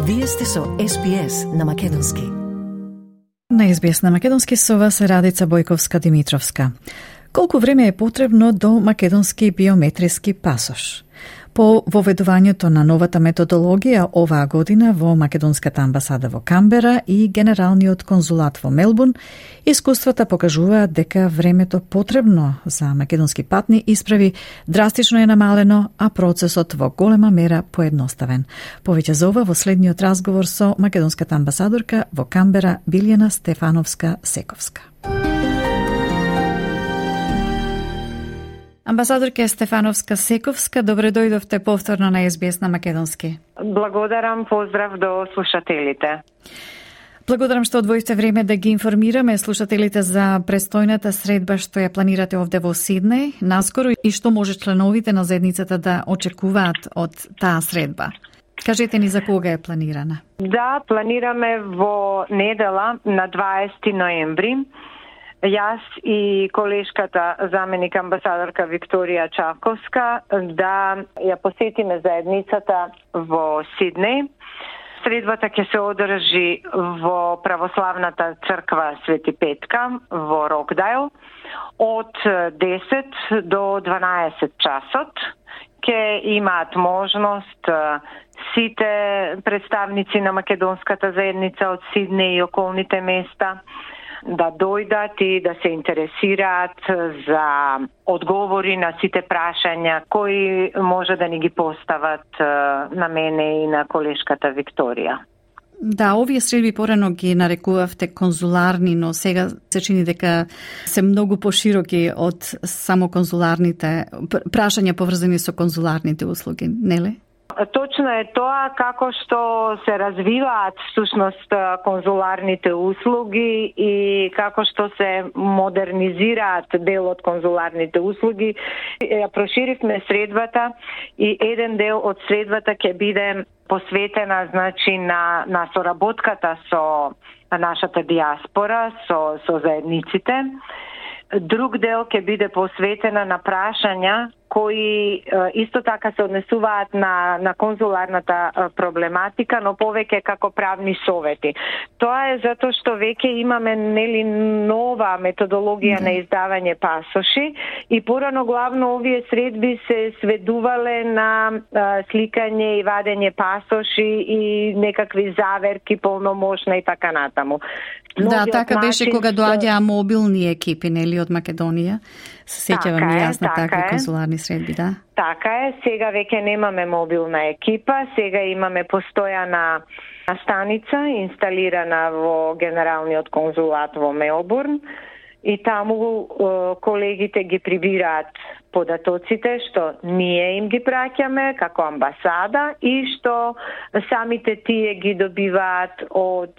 Вие сте со SBS на Македонски. На SBS на Македонски со вас Радица Бојковска-Димитровска. Колку време е потребно до македонски биометриски пасош? По воведувањето на новата методологија оваа година во Македонската амбасада во Камбера и Генералниот конзулат во Мелбурн, искуствата покажуваат дека времето потребно за македонски патни исправи драстично е намалено, а процесот во голема мера поедноставен. Повеќе за ова во следниот разговор со македонската амбасадорка во Камбера Билјана Стефановска-Сековска. Амбасадорка Стефановска-Сековска, добре дојдовте повторно на SBS на Македонски. Благодарам, поздрав до слушателите. Благодарам што одвоивте време да ги информираме слушателите за престојната средба што ја планирате овде во Сиднеј наскоро и што може членовите на заедницата да очекуваат од таа средба. Кажете ни за кога е планирана? Да, планираме во недела на 20 ноември. Јас и колешката заменик амбасадорка Викторија Чаковска да ја посетиме заедницата во Сиднеј. Средбата ќе се одржи во православната црква Свети Петка во Рокдайл од 10 до 12 часот. Ќе имаат можност сите представници на македонската заедница од Сиднеј и околните места да дојдат и да се интересираат за одговори на сите прашања кои може да ни ги постават на мене и на колешката Викторија. Да, овие средби порано ги нарекувавте конзуларни, но сега се чини дека се многу пошироки од само конзуларните прашања поврзани со конзуларните услуги, нели? Точно е тоа како што се развиваат всушност конзуларните услуги и како што се модернизираат дел од конзуларните услуги. Ја проширивме средбата и еден дел од средбата ќе биде посветена на соработката со нашата диаспора, со заедниците. Друг дел ќе биде посветена на прашања кои исто така се однесуваат на конзуларната проблематика, но повеќе како правни совети. Тоа е затоа што веќе имаме нова методологија на издавање пасоши и порано главно овие средби се сведувале на сликање и вадење пасоши и некакви заверки, полномошна и така натаму. Да, така беше кога доаѓаа мобилни екипи, нели, од Македонија. Се сеќавам и јас на такви конзуларни средби, да? Така е, сега веќе немаме мобилна екипа, сега имаме постојана станица инсталирана во Генералниот конзулат во Мелбурн и таму колегите ги прибираат податоците што ние им ги праќаме како амбасада и што самите тие ги добиваат од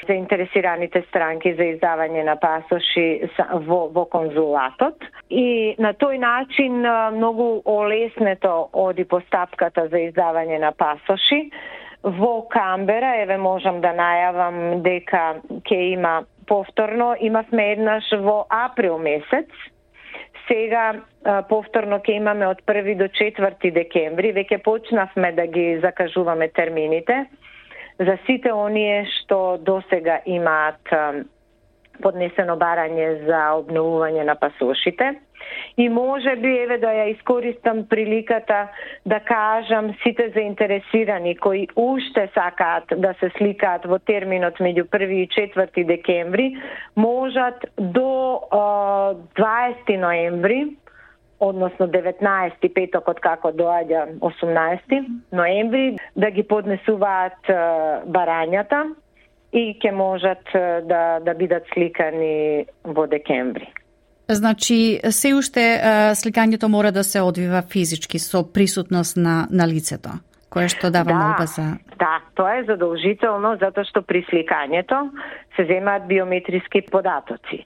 заинтересираните странки за издавање на пасоши во конзулатот. И на тој начин многу олеснето оди постапката за издавање на пасоши. Во Камбера, еве можам да најавам дека ќе има повторно, имавме еднаш во април месец. Сега повторно ќе имаме од 1 до 4 декември. Веќе почнавме да ги закажуваме термините за сите оние што досега имаат поднесено барање за обновување на пасошите. И може би, еве да ја искористам приликата да кажам сите заинтересирани кои уште сакаат да се сликаат во терминот меѓу 1 и 4 декември, можат до 20 ноември, односно 19 петокот како доаѓа 18 ноември, да ги поднесуваат барањата и ќе можат да бидат сликани во декември. Значи, се уште сликањето мора да се одвива физички со присутност на лицето, кое што дава молба за... Да, тоа е задолжително, затоа што при сликањето се земаат биометриски податоци.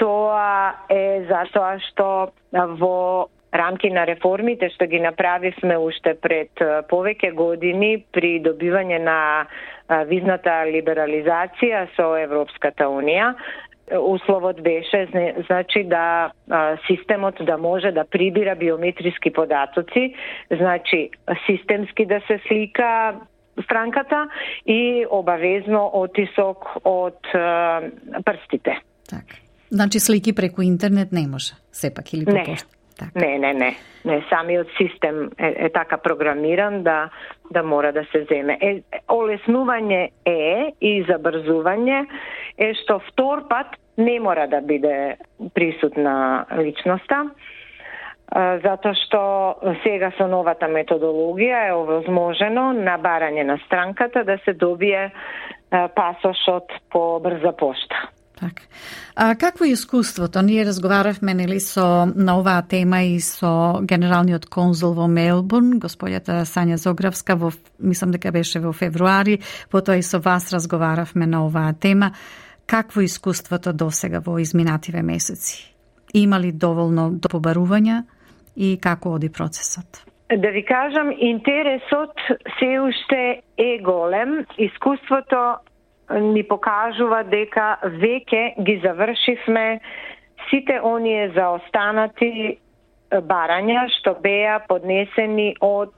Тоа е затоа што во рамки на реформите што ги направивме уште пред повеќе години при добивање на визната либерализација со Европската Унија, условот беше значи да системот да може да прибира биометриски податоци, значи системски да се слика странката и обавезно отисок од прстите. Така. Значи слики преку интернет не може, сепак или по пошта? Не. Самиот систем е така програмиран да мора да се земе. Олеснување и забрзување е што втор пат не мора да биде присутна личноста, затоа што сега со новата методологија е овозможено на барање на странката да се добие пасошот по брза пошта. Так. А какво е искуството? Ние разговаравме на оваа тема и со генералниот конзул во Мелбурн, господјата Сања Зогравска, мислам дека беше во февруари, потоа и со вас разговаравме на оваа тема. Какво е искуството досега во изминативе месеци? Има ли доволно до побарувања и како оди процесот? Да ви кажам, интересот се уште е голем. Искуството ни покажува дека веќе ги завршивме сите оние заостанати барања што беа поднесени од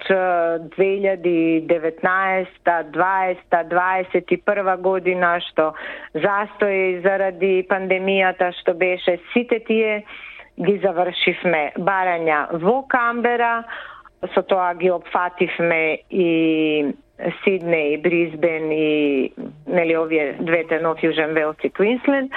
2019, 20, 21 година, што застои заради пандемијата што беше. Сите тие ги завршивме. Барања во Камбера, со тоа ги опфативме и Сиднеј, Брисбен и овие двете Нов Јужен Велс и Квинсленд.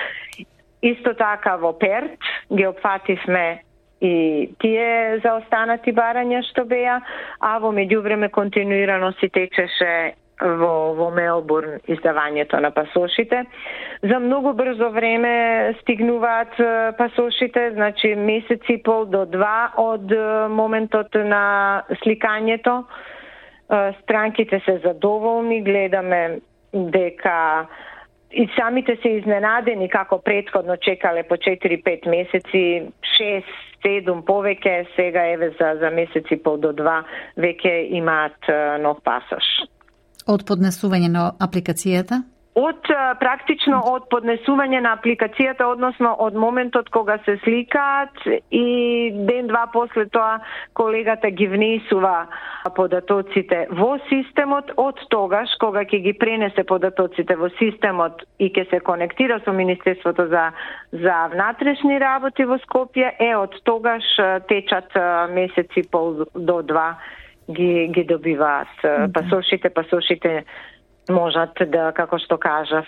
Исто така во Перт ги опфативме и тие заостанати барања што беа, а во меѓувреме континуирано си течеше во Мелбурн издавањето на пасошите. За многу брзо време стигнуваат пасошите, значи месец и пол до 2 од моментот на сликањето. Странките се задоволни, гледаме дека и самите се изненадени како претходно чекале по 4-5 месеци, 6-7 повеќе, сега еве за месец и пол до 2 веќе имаат нов пасош. Од поднесување на апликацијата? Практично од поднесување на апликацијата, односно од моментот кога се сликаат и ден-два после тоа колегата ги внесува податоците во системот, од тогаш кога ќе ги пренесе податоците во системот и ќе се конектира со Министерството за внатрешни работи во Скопје, од тогаш течат месеци пол до 2 ги добиваат пасошите можат да, како што кажав,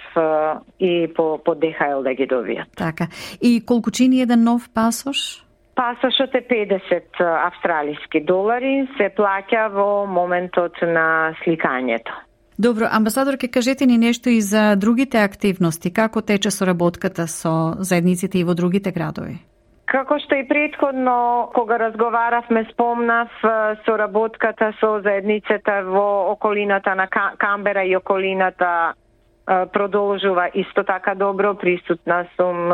и по ДХЛ да ги добијат. Така. И колку чини еден нов пасош? Пасошот е $50 австралиски долари, се плаќа во моментот на сликањето. Добро, амбасадорке, кажете ни нешто и за другите активности. Како тече соработката со заедниците и во другите градови? Како што и претходно, кога разговаравме, спомнав, соработката со заедницата во околината на Камбера и околината продолжува исто така добро. Присутна сум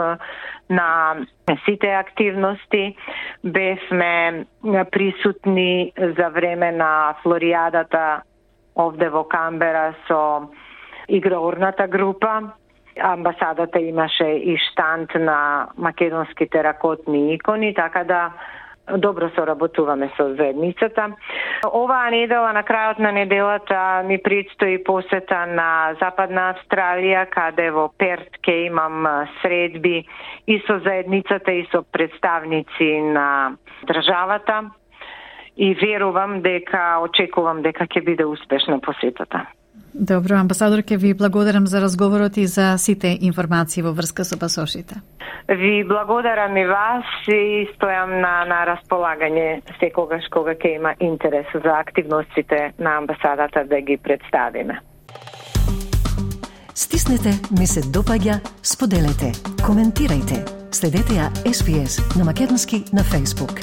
на сите активности. Бевме присутни за време на Флоријадата овде во Камбера со игроурната група. Амбасадата имаше и штанд на македонски теракотни икони, така да добро соработуваме со заедницата. Оваа недела, на крајот на неделата, ми предстои посета на Западна Австралија, каде во Перт ќе имам средби и со заедницата и со представници на државата. И очекувам дека ќе биде успешна посетата. Добро, амбасадорке, ви благодарам за разговорот и за сите информации во врска со пасошите. Ви благодарам и вас и стојам на располагање секогаш кога ќе има интерес за активностите на амбасадата да ги представиме. Стиснете, ми се допаѓа, споделете, коментирајте. Следете ја SPS на македонски на Facebook.